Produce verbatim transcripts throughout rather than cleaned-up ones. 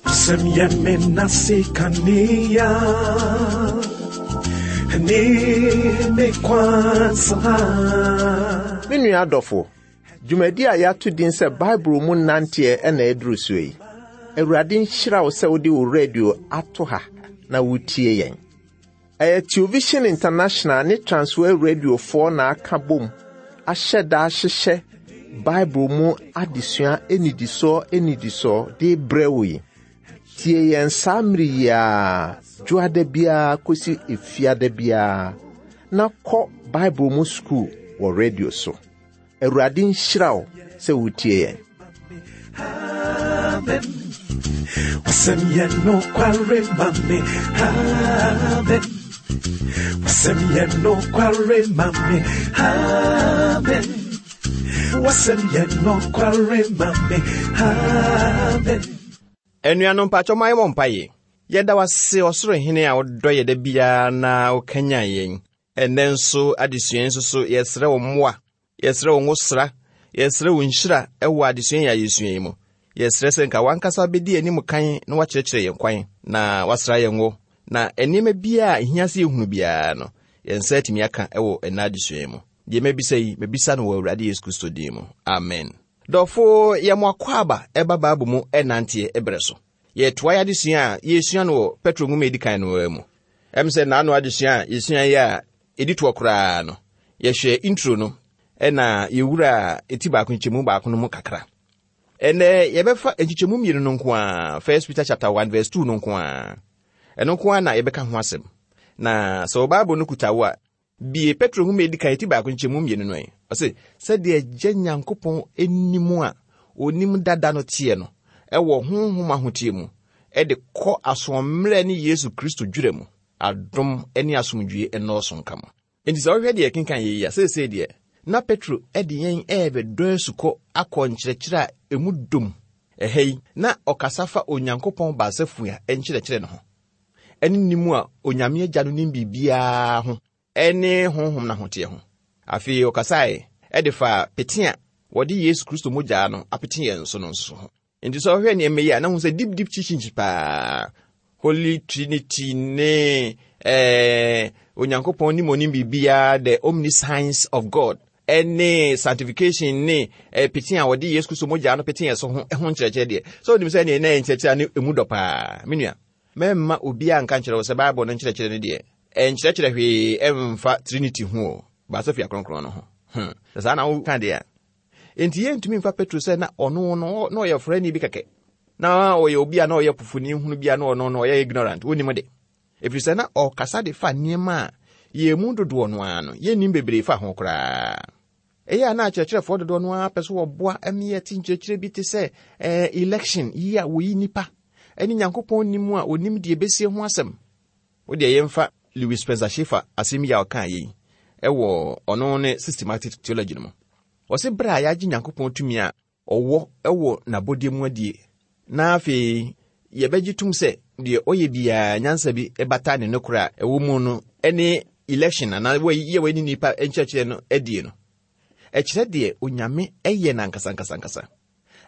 Wasɛm yɛ me nase kanea ne me kwansa. Me nua adɔfo, dwumadi a yɛato din sɛ Bible mu nanteɛ ɛna ɛduru so yi. Awurade nhyira wo sɛ wode wo radio ato ha na wotie yɛn. Ɛyɛ Television International ne Transworld Radiofoɔ na aka bom ahyɛ da ahyehyɛ Bible mu adesua enidisoɔ enidisoɔ de brɛ wo yi. Tie yɛn saa mmere yi ara, dwoada biara kɔsi efiada biara, na kɔ Bible mu sukuu wɔ radio so. Awurade nhyira wo sɛ wotie yɛn. Amen. Wasɛm yɛ nokware ma me. Amen. Wasɛm yɛ nokware ma me. Amen. Wasɛm yɛ nokware ma me. Amen. Anuanom mpakyɛ ma yɛmmɔ mpaeɛ. Yɛda wo ase ɔsoro hene a wodɔ yɛ da biara na wokanyan yɛn. Ɛnnɛ nso adesua nso so yɛsrɛ wo mmoa, yɛsrɛ wo nwosra, yɛsrɛ wo nhyira ɛwɔ adesua yi a yɛsua yi mu. Yɛsrɛ sɛ nka wankasa bɛdi anim kan na wakyerɛkyerɛ yɛn kwan na wasra yɛn ngo na nneɛma biara a ɛhia sɛ yɛhunu biara no yɛn nsa atumi aka ɛwɔ ɛnna adesua yi mu. Deɛ mabisa yi, mabisa no wɔ Awurade Yesu Kristo din mu. Amen. Dɔfo, yɛmo akɔ aba ɛba Bible mu ɛnanteɛ ɛberɛ so. Yɛtoa yɛ adesua a yɛsua no wɔ Petro nwoma a ɛdi kan no mu. Ɛm sɛ naano adesua a yɛsua yi a ɛdi toɔ koraa no, yɛhwɛ intro no ɛna yɛwura ɛti baako nkyɛmu baako no mu kakra. Ɛnɛ yɛbɛfa nkyekyɛmu mmienu no nko a, First Peter chapter one verse two no nko a. Ɛno nko a na yɛbɛka ho asɛm. Na sɛ wo Bible no kuta wo a, bie Petro nwoma a ɛdi kan ɛti baako nkyɛmu mmienu no ɛ. Ɔse, sɛdeɛ Agya Nyankopɔn anim a onim dada no teɛ no, ɛwɔ honhom ahoteɛ mu, ɛde kɔ asoɔmmerɛ ne Yesu Kristo dwerɛ mu, adom ne asomdwie nnɔɔso nka mo. Enti sɛ wohwɛ deɛ ɛkenkan yɛ yi a, seesei deɛ, na Petro ɛde yɛn ɛrebɛdɔ asukɔ akɔ nkyerɛkyerɛ a emu dom. Ɛha yi, na ɔkasa fa Onyankopɔn baasafua nkyerɛkyerɛ no ho. Ɛne nim a Onyame Agya no nim biribiara ho, ɛne honhom n'ahoteɛ ho. Afei ɔkasae ɛde fa pete a wɔde Yesu Kristo mogya no apete yɛn so no nso ho. Nti sɛ ɔhwɛ nneɛma yi a, na hu sɛ deep deep teachings paa. Holy Trinity ne eh, Onyankopɔn nim onim biribiara, the omniscience of God, ɛne sanctification ne eh, pete a wɔde Yesu Kristo mogya no pete yɛn so ho ho nkyerɛkyerɛ deɛ. Sɛ onim sɛ neɛ na ɛyɛ nkyerɛkyerɛ a ne emu dɔ paa. Me nua, mɛmma obiara nka nkyerɛ wo sɛ Bible no nkyerɛkyerɛ no deɛ, ɛnkyerɛkyerɛ hwee ɛmfa Trinity ho o, baasafua kronkron no ho. Hmm. Sɛ saa na woka deɛ a, enti yɛntumi mfa Petro sɛ na ɔno no na ɔyɛ frɛni bi kɛkɛ. Na ɔyɛ obi a na ɔyɛ pofoni hunu bi a na ɔno no ɔyɛ ignorant, wonim de. Ɛfiri sɛ na ɔkasa de fa nneɛma a yɛn mu dodoɔ no ara no, yɛnnim bebree fa ho koraa. Ɛyɛ a na akyerɛkyerɛfoɔ dodoɔ no ara pɛ so wɔboa ma yɛte nkyerɛkyerɛ bi te sɛ, eh, election yi a wɔyi nnipa, ɛne Nyankopɔn nim a onim deɛ ɛbɛsie ho asɛm. Wo deɛ yɛmfa Lewis Spencer Schaeffer asɛm yi a ɔkaa yei ɛwɔ ɔno ne systematic theology no mu. Ɔse berɛ a yɛagye Nyankopɔn tumi a ɔwɔ ɛwɔ n'abɔdeɛ mu adie, na afei yɛbɛgye tom sɛ deɛ ɔyɛ biara nyansa bi ɛbata ne nokorɛ a ɛwɔ mu no ɛne election anaa wɔyi yɛ wɔne nnipa nkyerɛkyerɛ no adie no. Ɛkyerɛ deɛ Onyame ɛyɛ no ankasa ankasa ankasa.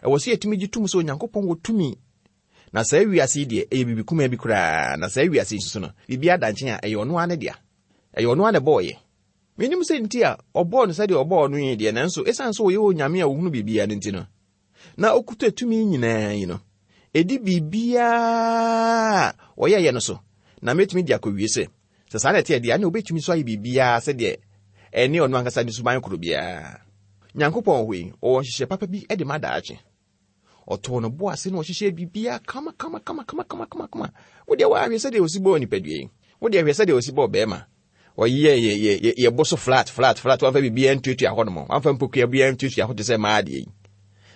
Ɛwɔ sɛ yɛtumi gye tom sɛ Onyankopɔn wɔ tumi. Na saa wiase yi deɛ, ɛyɛ biribi kumaa bi koraa. Na saa wiase yi nso so no, biribi ada nkyɛn a ɛyɛ ɔno ara ne dea. Ɛyɛ ɔno ara na ɛbɔɔyɛ. Menim sɛ nti a ɔbɔɔ no sɛdeɛ ɔbɔɔ no yi deɛ, nanso ɛsiane sɛ ɔyɛ Onyame a ɔhunu biribiara no nti no, na ɔkuta tumi nyinaa yi no, ɛdi biribiara a ɔyɛeɛ no so. Na mɛtumi de akɔwie sɛ, sɛ saa na ɛteɛ deɛ, ɛne wobɛtumi so ayɛ biribiara sɛdeɛ ɛne ɔno ankasa ne suban koro biara. Nyankopɔn wɔ hɔ yi, ɔwɔ nhyehyɛ papa bi de ma daakye. Ɔtɔɔ no bo ase na ɔhyehyɛ biribiara kama kama kama kama kama kama kama. Wo deɛ woahwɛ sɛdeɛ ɔsi bɔɔ nipadua yi. Wo deɛ hwɛ sɛdeɛ ɔsi bɔɔ bɛrima. Ɔyɛ yɛ yɛ yɛ yɛ bo so flat flat flat. Wamfa biribiara ntuatua hɔ nom. Wamfa mpokua biara ntuatua hɔ te sɛ mmaa deɛ yi.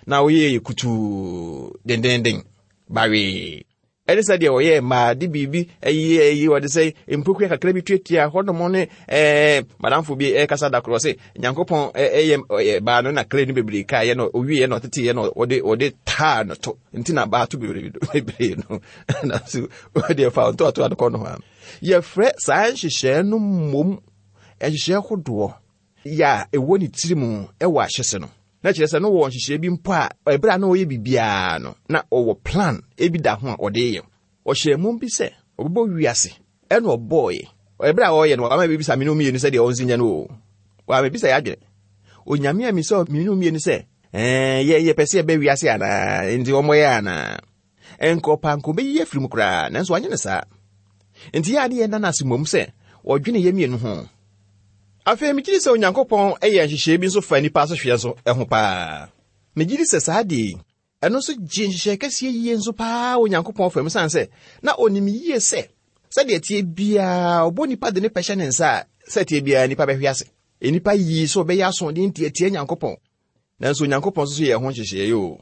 Na ɔyɛ yɛ kutuu dendenden bawee. Ɛne sɛdeɛ ɔyɛ mmaa de biribi ɛyi ɛyi wɔde sɛ mpokua kakra bi tuatua hɔ nom ne ɛɛ madamfo bi ɛkasa da korɔ sɛ Nyankopɔn ɛyɛ ɔyɛ baa no na clay no bebree kaa yɛ no owie yɛ no ɔtete yɛ no ɔde ɔde taa no to nti na baa to bebree bebree no na so ɔde fa ntoatoa no kɔ no hɔ a yɛfrɛ saa nhyehyɛɛ no mmom nhyehyɛɛ hodoɔ yɛ a ɛwɔ ne tiri mu ɛwɔ ahyɛse no. Na kyerɛ sɛ no wɔ nhyehyɛe bi mpo a ɛberɛ a na ɔyɛ biribiara no, na ɔwɔ plan ebi da ho a ɔde yɛ. Ɔhyɛɛ mmom bi sɛ ɔbɛbɔ wiase, ɛna ɔbɔɔyɛ. Ɛberɛ a ɔreyɛ no, wama bibisa me ne mmienu sɛ deɛ ɔnsi nyɛ no o. Wama bibisa yɛ adwene. Onyame a misɛ me ne mmienu sɛ, ɛɛ yɛ yɛpɛ sɛ yɛbɛ wiase anaa, nti ɔmmɔyɛ anaa. Ɛnka ɔpa nka ɔbɛyi afiri mu koraa, nanso wanyɛ no saa. Nti yɛ ade yɛ nna no ase mmom sɛ ɔdwene yɛ mmienu ho. Afei megye di sɛ Onyankopɔn yɛ nhyehyɛe bi nso fa nnipa asehweɛ nso ho paa. Megye di sɛ saa deɛ yi, ɛno nso gye nhyehyɛe kɛseɛ yie nso paa wɔ Onyankopɔn fam, ɛsiane sɛ na ɔnim yie sɛ sɛdeɛ tie biara ɔbɔ nipa de ne pɛ hyɛ ne nsa a, sɛ tie biara nipa bɛhwe ase. Nnipa yii sɛ ɔbɛyɛ asoɔden ntiatia Nyankopɔn. Nanso Onyankopɔn nso so yɛ ho nhyehyɛe o.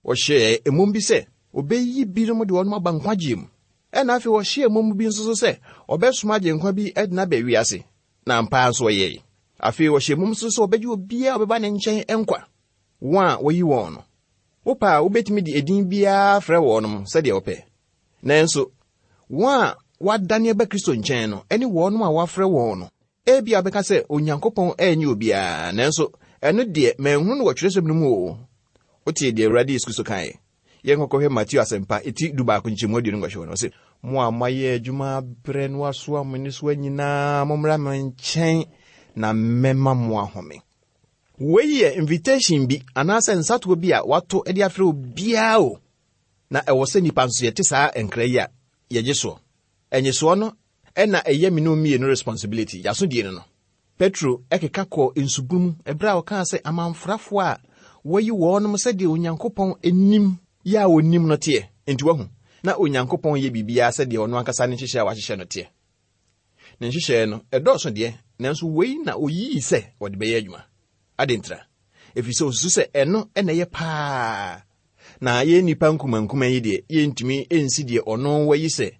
Ɔhyɛɛ mmom bi sɛ ɔbɛyi binom de wɔn aba nkwagyeɛ mu. Ɛna afei ɔhyɛɛ mmom bi nso so sɛ ɔbɛsoma agyenkwa bi de no aba wiase. Na ampa nso ɔyɛe. Afei ɔhyɛɛ mmom nso sɛ ɔbɛgye obiara a ɔbɛba ne nkyɛn nkwa, wɔn a wɔyi wɔn no. Wopɛ a wobɛtumi de edin biara frɛ wɔnom sɛdeɛ wopɛ. Nanso wɔn a wɔadane aba Kristo nkyɛn no ne wɔnom a wɔafrɛ wɔn no, ebia wobɛka sɛ Onyankopɔn ɛnyɛ obiara, nanso ɛno deɛ manhunu no wɔ twerɛsɛm no mu o. Wotie deɛ Awurade Yesu Kristo kaeɛ. Yɛnkɔkɔhwɛ Mateo asɛmpa eti du baako nkyɛmu aduonu nwɔtwe no, ɔse, mo a moayɛ adwuma abrɛ no asoa mo nnesoa nyinaa, mommra me nkyɛn na mɛma mo ahome. Wei yɛ invitation bi anaasɛ nsatoɔ bi a wato de afrɛ obiara o. Na ɛwɔ sɛ nnipa nso yɛte saa nkra yi a yɛgye soɔ. Ɛnyesoɔ no ɛna ɛyɛ me ne mmienu responsibility, yɛasodie no no. Petro ɛkeka kɔɔ nsubunu mu ɛberɛ a ɔkaa sɛ amanfrafoɔ a wɔyi wɔnom sɛdeɛ Onyankopɔn anim yɛ a onim no teɛ. Enti wahu na Onyankopɔn yɛ biribiara sɛdeɛ ɔno ankasa ne nhyehyɛe a wahyehyɛ no teɛ. Ne nhyehyɛe no ɛdɔɔso deɛ, nanso wei na oyii sɛ wɔde bɛyɛ adwuma. Ade ntra, ɛfiri sɛ osusu sɛ ɛno ɛna ɛyɛ paa. Na yɛn nnipa nkumankuma yi deɛ, yɛntumi nsi deɛ ɔno wayi sɛ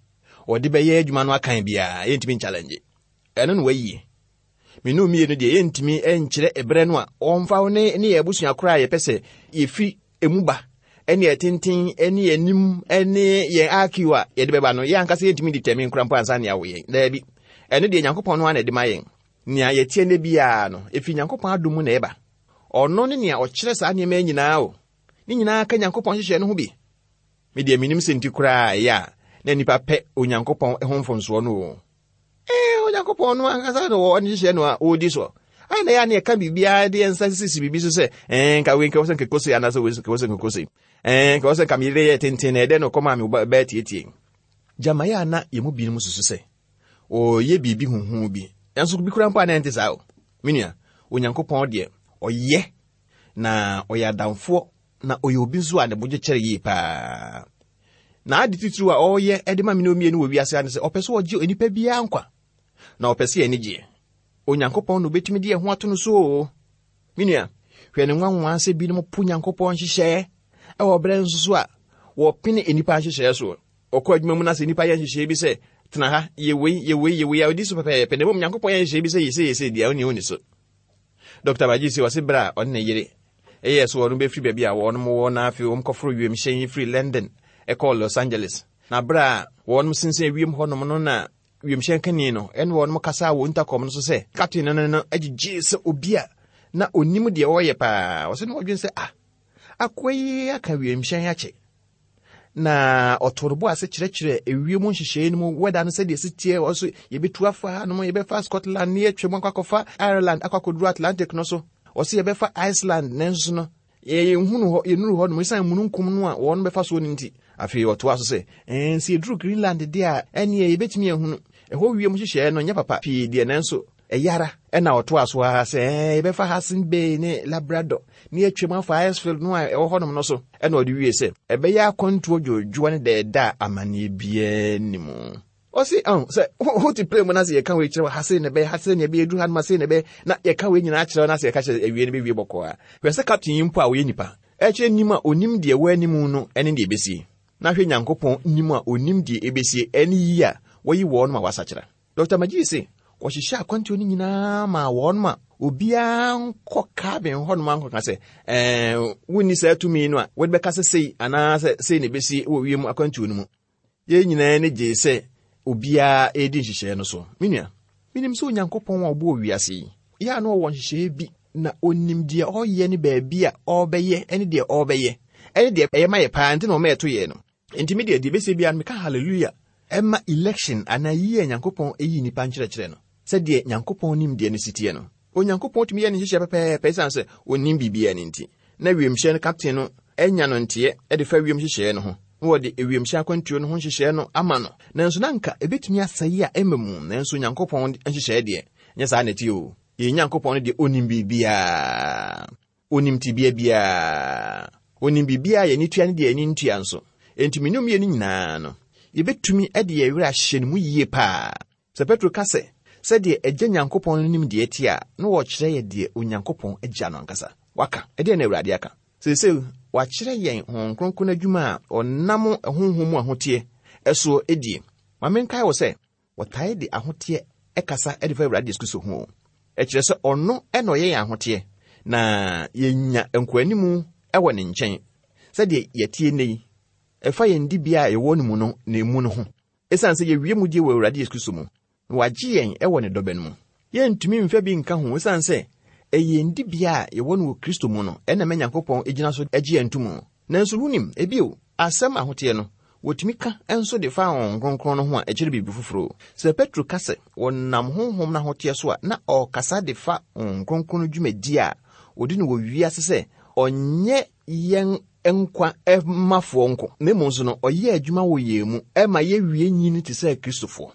ɔde bɛyɛ adwuma no akan biara, yɛntumi nchallenge. Ɛno na wayi. Me ne mmienu deɛ, yɛntumi nkyerɛ ɛberɛ no a ɔmfa wo ne ne yɛn abusua koraa a yɛpɛ sɛ yɛfiri emu ba, ɛne yɛn tenten, ɛne yɛn anim, ɛne yɛn I Q a yɛde bɛba no, yɛn ankasa yɛntumi determine koraa mpo ansa nea wɔyɛ. Daabi. Ɛno deɛ Nyankopɔn no ara na ɛde ma yɛn. Nea yɛtie ne biara no, ɛfiri Nyankopɔn adom mu na ɛba. Ɔno ne nea ɔkyerɛ saa nneɛma yi nyinaa o. Ne nyinaa ka Nyankopɔn nhyehyɛe no ho bi. Me deɛ menim sɛ nti koraa ɛyɛ a na nnipa pɛ Onyankopɔn ho mfomsoɔ no o. Ɛɛ, Onyankopɔn no ankasa na ɔwɔ ne nhyehyɛe no a ɔredi soɔ. Ayɛ na ɛyɛ a na yɛka biribiara de yɛn nsa sisi biribi so sɛ, ɛɛ, nka wei nka wɔ sɛ nka kose anaasɛ wei nka wɔ sɛ nka kose. Ɛɛ, nka wɔ sɛ nka me yere yɛ tenten na ɛdɛn na ɔkɔmaa me bɛɛ tietie. Gyama yɛ a na yɛn mu binom susu sɛ ɔreyɛ biribi huhu bi. Nanso bi koraa mpo a na ɛnte saa o. Me nua, Onyankopɔn deɛ ɔyɛ na ɔyɛ adamfoɔ na ɔyɛ obi nso a ne bo gye kyɛre yie paa. Na ade titiriw a ɔreyɛ de ma me ne mmienu wɔ wiase ha ne sɛ ɔpɛ sɛ ɔgye onipa biara nkwa na ɔpɛ sɛ yɛn ani gyeɛ. Onyankopɔn na obetumi de yɛn ho ato no so o. Me nua, hwɛ ne nwanwa sɛ binom po Nyankopɔn nhyehyɛeɛ ɛwɔ berɛ nso so a wɔpene nnipa nhyehyɛeɛ so. Ɔkɔ adwuma mu na sɛ nnipa yɛ nhyehyɛeɛ bi sɛ tena ha, yɛ wei, yɛ wei, yɛ wei a ɔdi so pɛpɛɛpɛ, na mmom Nyankopɔn yɛ nhyehyɛeɛ bi sɛ yɛ sei, yɛ sei deɛ, ɔnni ɔnni so. Dɔkta Bagye sɛ ɔse berɛ a ɔne ne yere ɛyɛɛ so wɔn bɛfiri baabi a wɔn wɔ na afei wɔn kɔforo wiemhyɛn firi London ɛkɔɔ Los Angeles. Na berɛ a wɔn sensɛn wiem hɔnom no na wiemhyɛn kani no ɛne wɔn kasa wɔ intercom no so sɛ captain no no agyegye sɛ obi a na onim deɛ ɔreyɛ paa. Ɔsɛ na ɔdwen sɛ ah, akoa yi aka wiemhyɛn akyɛ. Na ɔtoo no bo ase kyerɛkyerɛ ewiem nhyehyɛe no mu wɛda no sɛdeɛ ɛsi teɛ, wɔ so yɛbɛtu afa hanom, yɛbɛfa Scotland ne yɛatwa mu akɔ akɔfa Ireland akɔ akɔduru Atlantic no so. Ɔsɛ yɛbɛfa Iceland nanso no yɛnhunu hɔ, yɛnnuru hɔ nom ɛsiane mununkum no a wɔn bɛfa soɔ no nti. Afei ɔtoa so sɛ, ɛn, sɛ yɛduru Greenland deɛ a, ɛneɛ yɛbɛtumi ahunu. Ɛhɔ wiem nhyehyɛe no nyɛ papa pii deɛ, nanso ɛyɛ ara. Ɛna ɔtoa so ara sɛ, ɛn, yɛbɛfa Hudson Bay ne Labrador ne yɛatwa mu afa Icefield no a ɛwɔ hɔnom no so. Ɛna ɔde wie sɛ, ɛbɛyɛ akwantuo dwoodwoɔ ne dɛɛda a amanneɛ biara nni mu. Ɔse, ɔn, sɛ wote plane mu na sɛ yɛka wei kyerɛ wo, ha sei na ɛbɛyɛ, ha sei na ɛbɛyɛ, duru ha nom, ha sei na ɛbɛyɛ, na yɛka wei nyinaa kyerɛ wo na sɛ yɛka kyerɛ awie no bɛwie bɔkɔɔ a. Hwɛ sɛ captain yi mpo a ɔyɛ nipa, ɛkyerɛ nim a onim deɛ ɛwɔ anim no ne deɛ ɛbɛsie. Na hwɛ Nyankopɔn nim a onim deɛ ɛbɛsie ɛne yi a wɔyi wɔn ma wɔasakyera. Dɔkta Magye se, wɔhyehyɛ akwantuo no nyinaa maa wɔn ma obiara nkɔ cabin hɔnom ankɔka sɛ, ɛɛ, wonni saa tumi no a wode bɛka sɛ sei anaasɛ sei na ɛbɛsie wɔ wiem akwantuo no mu. Yɛn nyinaa ani gyee sɛ obiara redi nhyehyɛeɛ no so. Me nua, menim sɛ Onyankopɔn a ɔbɔɔ wiase yi, yɛ a na ɔwɔ nhyehyɛeɛ bi na onim deɛ ɔyɛ ne baabi a ɔbɛyɛ ne deɛ ɔbɛyɛ ɛne deɛ ɛyɛ ma yɛ paa nti na ɔma yɛto yɛ no. Enti me deɛ deɛ bɛsɛ biara no meka hallelujah ɛma election anaa yi a Nyankopɔn ɛyi nnipa nkyerɛkyerɛ no sɛdeɛ Nyankopɔn nim deɛ no siteɛ no. Onyankopɔn tumi yɛ ne nhyehyɛ pɛpɛɛpɛ ɛsiane sɛ onim biribiara no nti. Na wiemhyɛn no captain no anya no nteɛ ɛde fa wiem hyehyɛɛ no ho na wɔde ewiemhyɛn akwantuo no ho nhyehyɛɛ no ama no. Nanso na anka ebetumi asɛe a ɛma mu, nanso Nyankopɔn nhyehyɛɛ deɛ nyɛ saa na ɛte o. Yɛn Nyankopɔn no deɛ onim biribiara, onim tebea biara, onim biribiara yɛn ani tua ne deɛ yɛn ani ntua nso. Enti me ne mmienu nyinaa no, yɛbɛtumi de yɛn werɛ ahyɛ ne mu yie paa. Sɛ Petro ka sɛ sɛdeɛ Agya Nyankopɔn no nim deɛ ɛte a, na wɔkyerɛ yɛ deɛ Onyankopɔn agya no ankasa. Waka, ɛdeɛ na Awurade aka. Seesei, wakyerɛ yɛn Honhom Kronkron adwuma a ɔnam honhom mu ahoteɛ ɛsoɔ edie. Ma menkae wo sɛ, wɔtae de ahoteɛ ɛkasa ɛde fa Awurade Yesu Kristo ho. Ɛkyerɛ sɛ ɔno ɛna ɔyɛ yɛn ahoteɛ, na yɛnya nkoanimu ɛwɔ ne nkyɛn. Sɛdeɛ yɛtie nnɛ yi, ɛfa yɛn dibea a yɛwɔ no mu no na emu no ho. Ɛsiane sɛ yɛwie mu die wɔ Awurade Yesu Kristo mu, na wagye yɛn ɛwɔ ne dɔbɛ no mu. Yɛntumi mfa bi nka ho ɛsiane sɛ ɛyɛ yɛn dibea a yɛwɔ no wɔ Kristo mu no ɛna ma Nyankopɔn gyina so agye yɛn to mu. Nanso wonim, ebio, asɛm ahoteɛ no, wɔtumi ka nso de fa Honhom Kronkron no ho a ɛkyerɛ biribi foforɔ. Sɛ Petro ka sɛ wɔnam honhom no ahoteɛ so a, na ɔrekasa de fa Honhom Kronkron no dwumadi a ɔdi no wɔ wiase sɛ ɔnyɛ yɛn nkwa mafoɔ nko, na mmom nso no, ɔyɛ adwuma wɔ yɛn mu ɛma yɛwie nyini te sɛ Kristofoɔ.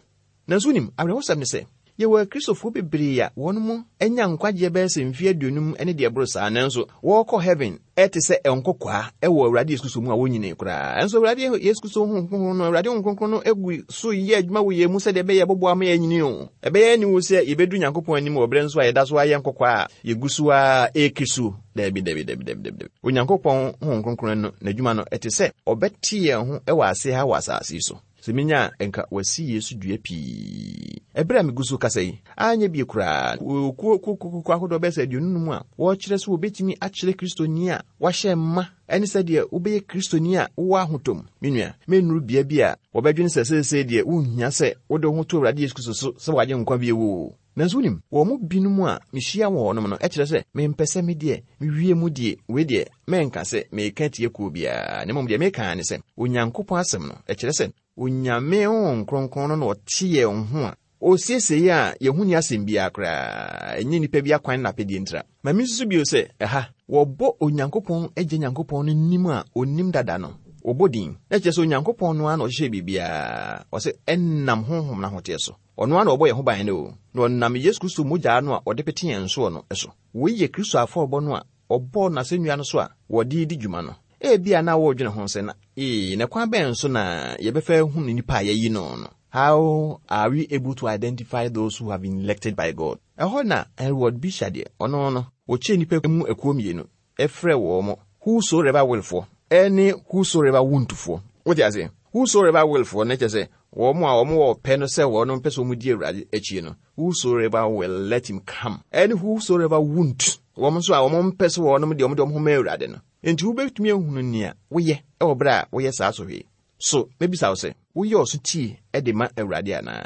Nanso wonim, awerɛhosɛm ne sɛ, yɛwɔ Akristofoɔ bebree a wɔn mu anya nkwagyeɛ bɛyɛ sɛ mfeɛ aduonum ne deɛ ɛboro saa, nanso wɔrekɔ heaven ɛte sɛ nkɔkwaa ɛwɔ Awurade Yesu Kristo mu a wɔnyini koraa. Nanso Awurade Yesu Kristo Honhom Kronkron no, Awurade Honhom Kronkron no egu so yɛ adwuma wɔ yɛn mu sɛdeɛ ɛbɛyɛ ɛbɛboa ama yɛanyini o. Ɛbɛyɛ aniwu sɛ yɛbɛdu Nyankopɔn anim wɔ berɛ nso a yɛda so ayɛ nkɔkwaa a yɛgu so a ɛreki so. Dabi, dabi, dabi, dabi, dabi. Onyankopɔn Honhom Kronkron no n'adwuma no ɛte sɛ ɔbɛte yɛn ho ɛwɔ ase ha wɔ asase yi so. Sɛ menya nka wasi Yesu dua pii. Ɛberɛ a megu so kasa yi, anyɛ bie koraa, kuo kuo ahodoɔ bɛyɛ sɛ aduonu num a wɔrekyerɛ sɛ wɔbɛtumi akyerɛ Kristoni a wahyɛ mma ɛne sɛdeɛ wobɛyɛ Kristoni a wowɔ ahotɔ mu. Me nua, mennuru bea bi a wɔbɛdwene sɛ seesei deɛ wonhia sɛ wode wo ho to Awurade Yesu Kristo so sɛ wagye nkwa bio o. Nanso wonim, wɔn mu binom a mehyia wɔ hɔnom no, ɛkyerɛ sɛ mempɛ sɛ me deɛ mewie mu die, wei deɛ menka sɛ meka tie kuo biara, na mmom deɛ meka ne sɛ Onyankopɔn asɛm no, ɛkyerɛ sɛ Onyame Honhom Kronkron no na ɔte yɛn ho a osiesie yɛn a yɛho ni asɛm biara koraa, ɛnyɛ nnipa bi akwan na apɛdeɛ ntira. Ma me nsusu bio sɛ ɛha, wɔbɔ Onyankopɔn Agya Nyankopɔn no nim a onim dada no, wɔbɔ din. Na kyerɛ sɛ Onyankopɔn no ara na ɔhyehyɛ biribiara, ɔsɛ ɛnam honhom n'ahoteɛ so. Ɔno ara na ɔbɔ yɛn ho ban no o, na ɔnam Yesu Kristo mogya no a ɔde pete yɛn soɔ no so. Wei yɛ Kristo afɔrebɔ no a ɔbɔɔ n'asɛnnua no so a wɔde di dwuma no. Ebia na wɔredwene ho sɛ na ee, na kwan bɛn so na yɛbɛfa ahunu nnipa a yɛayi no no? How are we able to identify those who have been elected by God? Ɛhɔ na Edward Bisha deɛ, ɔno no, wɔkyɛɛ nnipa mu akuo mmienu, ɛfrɛ wɔn mo whosoever willfoɔ ɛne whosoever won'tfoɔ. Wote aseɛ? Whosoever willfoɔ no kyerɛ sɛ wɔn a wɔn wɔ pɛ no sɛ wɔn mpɛ sɛ wɔn di Awurade akyi no, whosoever will let him come, ɛne whosoever won't, wɔn nso a wɔn mpɛ sɛ wɔn deɛ wɔn de wɔn ho ma Awurade no. Enti wobɛtumi ahunu nea woyɛ ɛwɔ berɛ a woyɛ saa sɔhwɛ yi. So, mebisa wo sɛ, woyɛ ɔso tie de ma Awurade anaa?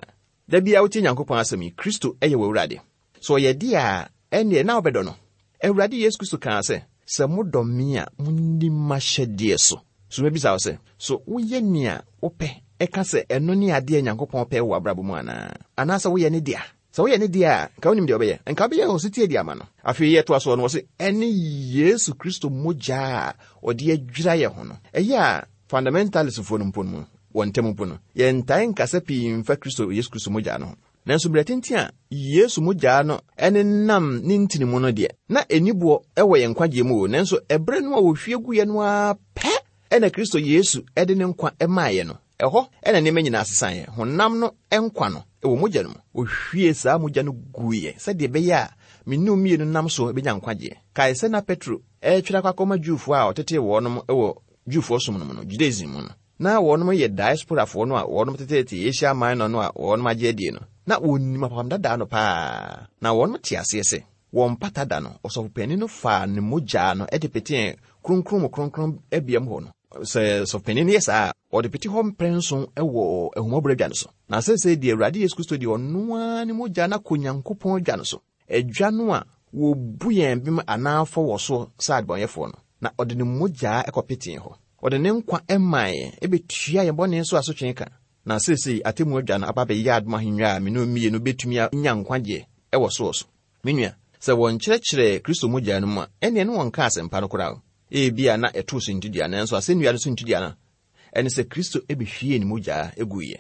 Da biara wotie Nyankopɔn asɛm yi, Kristo yɛ w'Awurade. So ɔyɛ deɛ a, ɛnneɛ na wobɛdɔ no. Awurade Yesu Kristo kaa sɛ, sɛ modɔ me a, monni m'ahyɛdeɛ so. So mebisa wo sɛ, so woyɛ nea wopɛ ɛka sɛ ɛno ne adeɛ Nyankopɔn pɛ wɔ w'abrabɔ mu anaa? Anaasɛ woyɛ ne dea? Sɛ woyɛ ne dea a, nka wonim deɛ wobɛyɛ. Nka wobɛyɛ ɔsetie de ama no. Afei yɛtoa soɔ no, wɔ se, ɛne Yesu Kristo mogya a ɔde adwira yɛn ho no. Ɛyɛ a fundamentalistfoɔ no mpo no mu, wɔn ntam mpo no, yɛntae nkasa pii mfa Kristo Yesu Kristo mogya no ho. Nanso berɛ tenten a Yesu mogya no ɛne nam ne ntini mu no deɛ, na ɛni boɔ ɛwɔ yɛn nkwagyeɛ mu o. Nanso ɛberɛ no a wɔhwie guiɛ no ara pɛ ɛna Kristo Yesu ɛde ne nkwa ɛmaeɛ no. Ɛhɔ ɛna nneɛma nyinaa sesaeɛ. Honam no nkwa no ɛwɔ mogya no mu. Ohwie saa mogya no guiɛ sɛdeɛ ɛbɛyɛ a me ne wo mmienu nam so bɛnya nkwagyeɛ. Kae sɛ na Petro ɛretwerɛ akɔ akɔma Jewfoɔ a ɔtetee wɔnom ɛwɔ Jewfoɔ som no mu no, Judaism mu no. Na wɔnom yɛ diasporafoɔ no a wɔnom tetete Asia Minor no a wɔnom agye adie no. Na wɔnim apam dadaa no paa. Na wɔnom te aseɛ sɛ wɔn mpata da no, ɔsɔfopanin no faa ne mogya no de petee kronkron mu kronkron abia mu hɔ no. Sɛ ɔsɔfopanin no yɛ saa a, ɔde pete hɔ mprɛnson wɔ ahummɔborɔ adwa no so. Na seesei deɛ Awurade Yesu Kristo deɛ ɔno ara ne mogya no akɔ Nyankopɔn adwa no so. Adwa no a Wɔbu yɛn bem anaa fɔ wɔ so sɛ adebɔnyɛfoɔ no, na ɔde ne mogyaa ɛkɔpetee hɔ. Ɔde ne nkwa ɛmaa yɛn, ɛbɛtua yɛn bɔne so asotwe ka. Na seesei atemmu adwa no aba bɛyɛ adom ahennwa a me ne mmienu bɛtumi anya nkwagyeɛ ɛwɔ soɔ so. Me nua, sɛ wɔnkyerɛkyerɛ Kristo mogya no mu a, ɛnneɛ ne wɔnka asɛmpa no koraa. Ebia na ɛtoo so ntudua, nanso asɛnnua no so ntudua no, ɛne sɛ Kristo ɛbɛhwie ne mogyaa ɛguiɛ.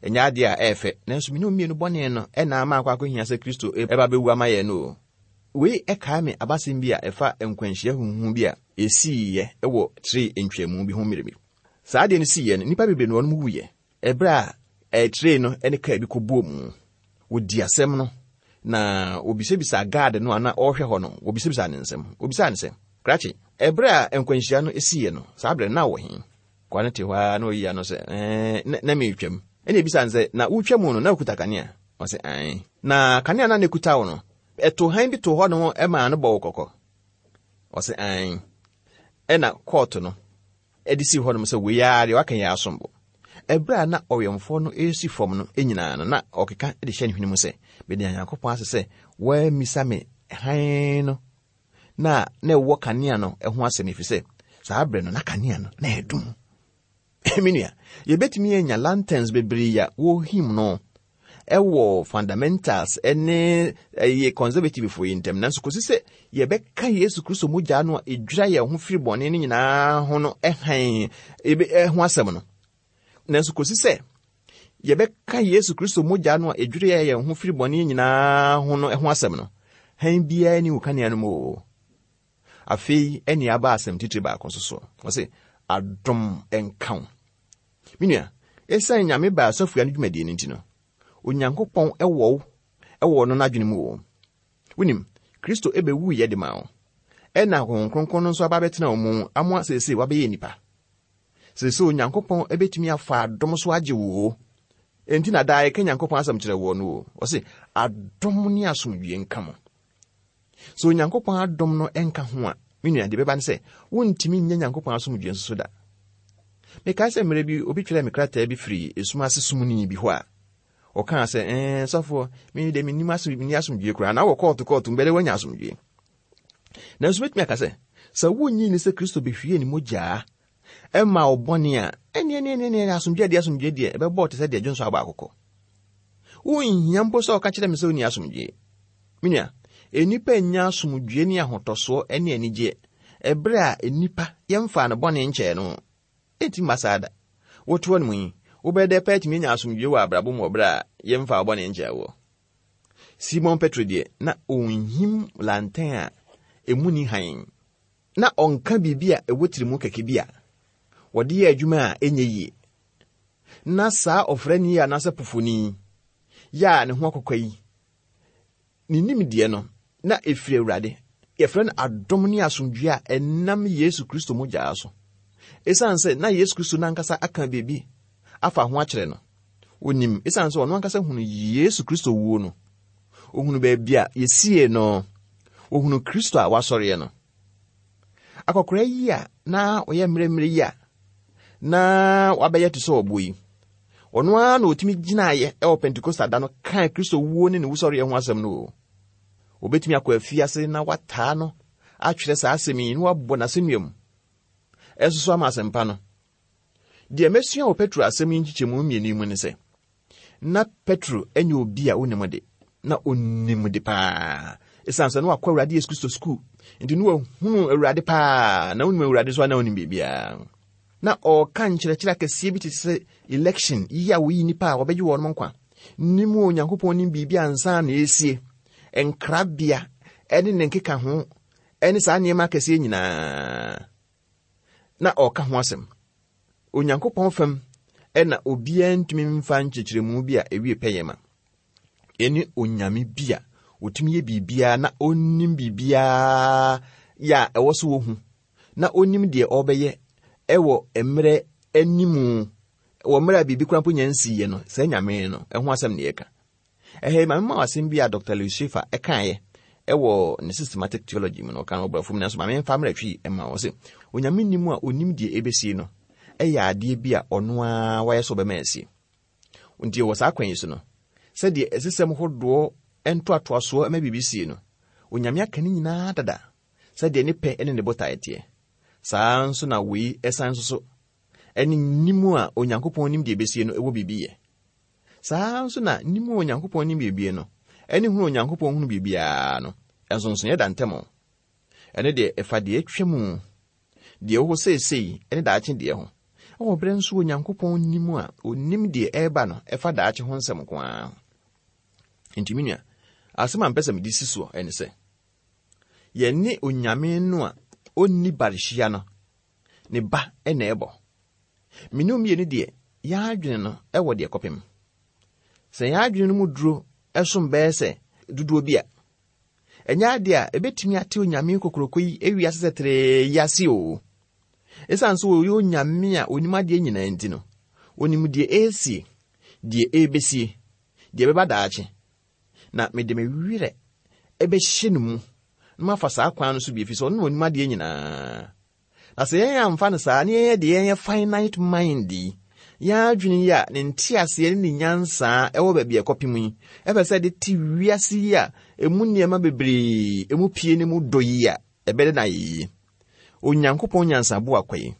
Ɛnyɛ adeɛ a ɛyɛ fɛ, nanso me ne mmienu bɔne no ɛna ama akɔ akɔhia sɛ Kristo ɛba bɛwu ama yɛn no o. Wei ɛkae me abasɛm bi a ɛfa nkwanhyia huhu bi a ɛsiiɛ ɛwɔ tire ntwamu bi ho mmerɛ bi. Saa adeɛ no siiɛ no, nnipa bebree na wɔn wuyɛ. Ɛberɛ a tire no ne kaa bi kɔbɔɔ mu. Wɔdi asɛm no, na wɔbisabisaa gaade no a na ɔrehwɛ hɔ no, wɔbisabisaa ne nsɛm. Wɔbisaa ne sɛ, krakye, ɛberɛ a nkwanhyia no siiɛ no, saa berɛ no na wɔ he? Kwa no te hɔ ara na ɔyi ano sɛ, ɛɛ, na meretwam. Ɛna ebisa no sɛ, na wotwa mu no, na wokuta kanea? Ɔsɛ, ae. Na kanea no a na ekuta wo no, ɛto hann bi to hɔ no ɛmaa no bɔ wo kɔkɔ? Ɔsɛ, ae. Ɛna kɔɔto no ɛde si hɔ nom sɛ wei ara deɛ waka yɛ asombo. Ɛberɛ a na ɔwɛmfoɔ no esi fam no nyinaa no, na ɔkeka de hyɛ ne hwene mu sɛ, mede Onyankopɔn ase sɛ wammisa me hann no na na ɛwɔ kanea no ho asɛm, ɛfiri sɛ saa berɛ no na kanea no na ɛdum. Me nua, yɛbɛtumi anya lanterns bebree a wɔhim no ɛwɔ fundamentals ɛne ɛyɛ conservative foɔ yi ntam, nanso kɔsi sɛ yɛbɛka Yesu Kristo mogya no a ɛdwira yɛn ho firi bɔne no nyinaa ho no ɛhan ɛho asɛm no. Nanso kɔsi sɛ yɛbɛka Yesu Kristo mogya no a ɛdwira yɛn ho firi bɔne nyinaa ho no ho asɛm no, hann biara ni wo kanea no mu o. Afei ɛne aba asɛm titiri baako nso so. Ɔse, adom ɛnka wo. Me nua, ɛsiane Nyame baa asɔfoa no dwumadie no nti no, Onyankopɔn ɛwɔ wo, ɛwɔ no n'adwene mu o. Wonim, Kristo ɛbɛwuiɛ de ma wo. Ɛna Honhom Kronkron no nso aba bɛtena wo mu amoa seesei wabɛyɛ nipa. Seesei Onyankopɔn ɛbɛtumi afa adom so agye wo o. Enti na daa yɛka Nyankopɔn asɛm kyerɛ wɔ no o. Ɔse, adom ne asomdwie nka mo. Sɛ Onyankopɔn adom no ɛnka ho a, me nua, deɛ bɛba ne sɛ, wontumi nyɛ Nyankopɔn asomdwie nso so da. Mekae sɛ mmerɛ bi, obi twerɛɛ me krataa bi firi esum ase sumni bi hɔ a, ɔkaa sɛ, ɛɛ, sɔfoɔ, me de mennim asom, menni asomdwie koraa, na wɔ kɔɔto kɔɔto mbɛdɛ woanya asomdwie. Nanso mɛtumi aka sɛ, sɛ wonnyi ni sɛ Kristo bɛhwie ne mogyaa ɛma wo bɔne a, ɛne, ɛne, ɛne, ɛne, asomdwie deɛ, asomdwie deɛ, ɛbɛbɔ te sɛ deɛ dwonso abɔ akokɔ. Wonhia mpo sɛ ɔka kyerɛ me sɛ wonni asomdwie. Me nua, nnipa nnya asomdwie ne ahotɔsoɔ ne anigyeɛ ɛberɛ a nnipa yɛmfaa no bɔne nkyɛɛ no. Ɛnti mma saa da. Wotoɔ no mu yi, wobɛyɛ dɛ pɛ atumi anya asomdwie wɔ abrabɔ mu wɔ berɛ a yɛmfaa wo bɔne nkyɛɛ woɔ. Simon Petro deɛ, na ɔnhim lantɛn a emu ni hann. Na ɔnka biribi a ɛwɔ tirimu kɛkɛ bi a wɔde yɛ adwuma a ɛnyɛ yie. Na saa ɔfrani yi anaasɛ pofoni yɛ a ne ho akɔkɔ yi, ne nimdeɛ no, na ɛfiri Awurade. Yɛfrɛ no adom ne asomdwie a ɛnam Yesu Kristo mogyaa so. Ɛsiane sɛ na Yesu Kristo n'ankasa aka biribi afa ho akyerɛ no, onim, ɛsiane sɛ ɔno ankasa hunu Yesu Kristo wuo no, ohunu baabi a yɛsie no, ohunu Kristo a wasɔreɛ no. Akɔkora yi a na ɔyɛ mmerɛmmerɛ yi a na wabɛyɛ te sɛ ɔbo yi, ɔno ara na ɔtumi gyinaeɛ ɛwɔ Pentekosta da no kaa Kristo wuo ne ne wusɔreɛ ho asɛm no o. Obɛtumi akɔ afiase na wataa no atwerɛ saa asɛm yi na wabɔ n'asɛnnua mu. Ɛnso so ama asɛmpa no. Deɛ mɛsua wɔ Petro asɛm yi nkyekyɛmu mmienu yi mu ne sɛ, na Petro ɛnyɛ obi a onim de, na onim de paa. Ɛsiane sɛ na wakɔ Awurade Yesu Kristo sukuu, nti na wahunu Awurade paa, na wonim Awurade so a na onim biribiara. Na ɔreka nkyerɛkyerɛ akɛseɛ bi te sɛ election, yi a woyi nnipa a wɔbɛgye wɔn nkwa, nim Onyankopɔn nim biribi ansa na esie, nkrabea ɛne ne nkeka ho, ɛne saa nneɛma akɛseɛ nyinaa. Na ɔreka ho asɛm. Onyankopɔn fam ɛna obiara ntumi mfa nkyerɛkyerɛmu bi a ewie pɛyɛ ma. Ɛne Onyame bi a otumi yɛ biribiara na onim biribiara yɛ a ɛwɔ so wɔ hu, na onim deɛ ɔbɛyɛ ɛwɔ mmerɛ animu, wɔ mmerɛ a biribi koraa mpo nya nsiiɛ no, saa Nyame no, ɛho asɛm na yɛka. Ɛhɛ, ma mema wo asɛm bi a Doctor Lewis Schaefer ɛkaeɛ ɛwɔ ne systematic theology mu no, ɔka no ɔbrɔfo mu, nanso ma memfa mmerɛ twi ɛma wo sɛ, Onyame nim a onim deɛ ɛbɛsie no, ɛyɛ adeɛ bi a ɔno ara wayɛ sɛ ɔbɛma asie. Nti wɔ saa kwan yi so no, sɛdeɛ ɛsesɛm hodoɔ ntoatoasoɔ ɛma biribi sie no, Onyame aka ne nyinaa dada sɛdeɛ ne pɛ ne ne botaeɛ teɛ. Saa nso na wei ɛsan nso so ɛne nim a Onyankopɔn nim deɛ ɛbɛsie no ɛwɔ biribi yɛ. Saa nso na nim a Onyankopɔn nim biribi no ɛne hunu Onyankopɔn hunu biribiara no, ɛnsonsonoeɛ da ntam. Ɛno deɛ ɛfa deɛ atwa mu, deɛ ɛwɔ hɔ seesei ɛne daakye deɛ ho. Ɛwɔ berɛ nso Onyankopɔn nim a onim deɛ ɛreba no ɛfa daakye ho nsɛm nko ara. Nti me nua, asɛm a mpɛ sɛ mede si soɔ ɛne sɛ, yɛne Onyame no a ɔnni barehyia no ne ba ɛna ɛbɔ. Me ne mmienu deɛ, yɛn adwene no ɛwɔ deɛ kɔpem. Sɛ yɛn adwene no mu duro ɛsom bɛyɛ sɛ dodoɔ bi a, ɛnyɛ adeɛ a ɛbɛtumi ate Onyame kokoroko yi ewiase sɛ teree yi ase o. Ɛsiane sɛ ɔyɛ Onyame a onim adeɛ nyinaa nti no, onim deɛ ɛresie, deɛ ɛrebɛsie, deɛ ɛbɛba daakye. Na mede me werɛ ɛbɛhyɛ no mu na mafa saa kwan no so bi, ɛfiri sɛ ɔno na onim adeɛ nyinaa. Na sɛ yɛn amfa no saa, na yɛn deɛ yɛn finite mind yi, yɛn adwene yi a ne nteaseɛ ne ne nyansaa ɛwɔ baabi a ɛkɔpem yi, ɛpɛ sɛ de te wiase yi a emu nneɛma bebree, emu pie ne mu dɔ yi a, ɛbɛde na ayɛ yie. Onyankopɔn nyansabo akwa yi,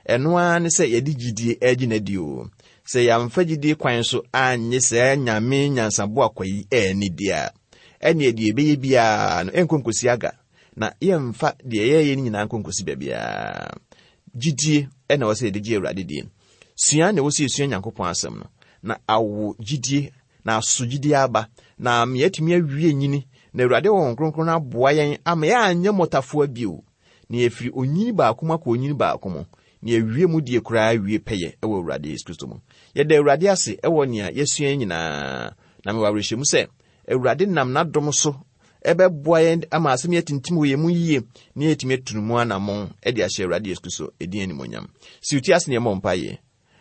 ɛno ara ne sɛ yɛde gyidie ɛregye n'adi o. Sɛ yɛamfa gyidie kwan so anyɛ saa Nyame nyansabo akwa yi ɛnni di a, ɛneɛ deɛ ɛbɛyɛ biara no ɛnkɔ nkɔsi aga, na yɛmfa deɛ yɛyɛ no nyinaa nkɔ nkɔsi baabiara. Gyidie ɛna ɛwɔ sɛ yɛde gye Awurade die. Sua na ɛwɔ sɛ yɛsua Nyankopɔn asɛm no, na awo gyidie, na aso gyidie aba, na ama yɛatumi awie nyini, na Awurade wɔ Honhom Kronkron no aboa yɛn ama yɛanyɛ mmɔtafoa bio, na yɛfiri onyini baako mu akɔ onyini baako mu, na yɛwie mu die koraa wie pɛyɛ ɛwɔ Awurade Yesu Kristo mu. Yɛda Awurade ase ɛwɔ nea yɛsua nyinaa, na mewɔ awerɛhyɛmu sɛ Awurade nam n'adom so ɛbɛboa yɛn ama asɛm yi atintim wɔ yɛn mu yie, na yɛatumi atu mu anammɔn ɛde ahyɛ Awurade Yesu Kristo edin animuonyam. Si wo ti ase na yɛmmɔ mpaeɛ.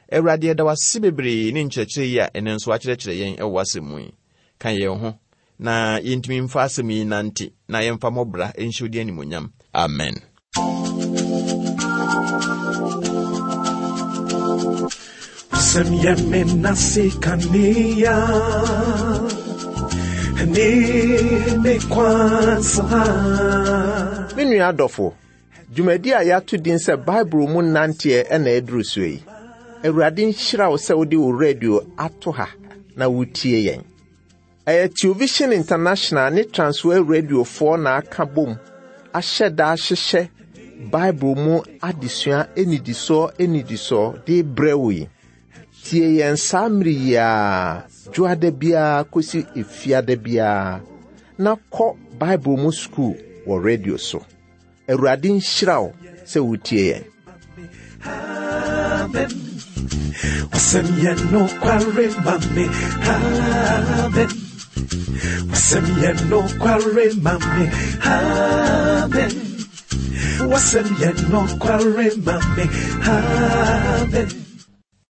Awurade, yɛda wo ase bebree ne nkyerɛkyerɛ yi a ɛnnɛ nso akyerɛkyerɛ yɛn ɛwɔ w'asɛm mu yi. Ka yɛn ho na yɛntumi mfa asɛm yi nante, na yɛmfa mmɔbra nhyɛ wo din animuonyam. Amen. Sɛm yɛ me nase kanea, ne me kwan so ha. Me nua adɔfo, dwumadi a yɛato din sɛ Bible mu nanteɛ ɛna ɛduru so yi. Awurade nhyira wo sɛ wode wo radio ato ha na wotie yɛn. Ɛyɛ Television International ne Transworld Radiofoɔ na aka bom ahyɛ da ahyehyɛ Bible mu adesua enidisoɔ enidisoɔ de brɛ wo yi. Tie yɛn saa mmere yi ara, dwoada biara kɔsi efiada biara, na kɔ Bible mu sukuu wɔ radio so. Awurade nhyira wo sɛ wotie yɛn. Amen. Wasɛm yɛ nokware ma me. Amen. Wasɛm yɛ nokware ma me. Amen. Wasɛm yɛ nokware ma me. Amen.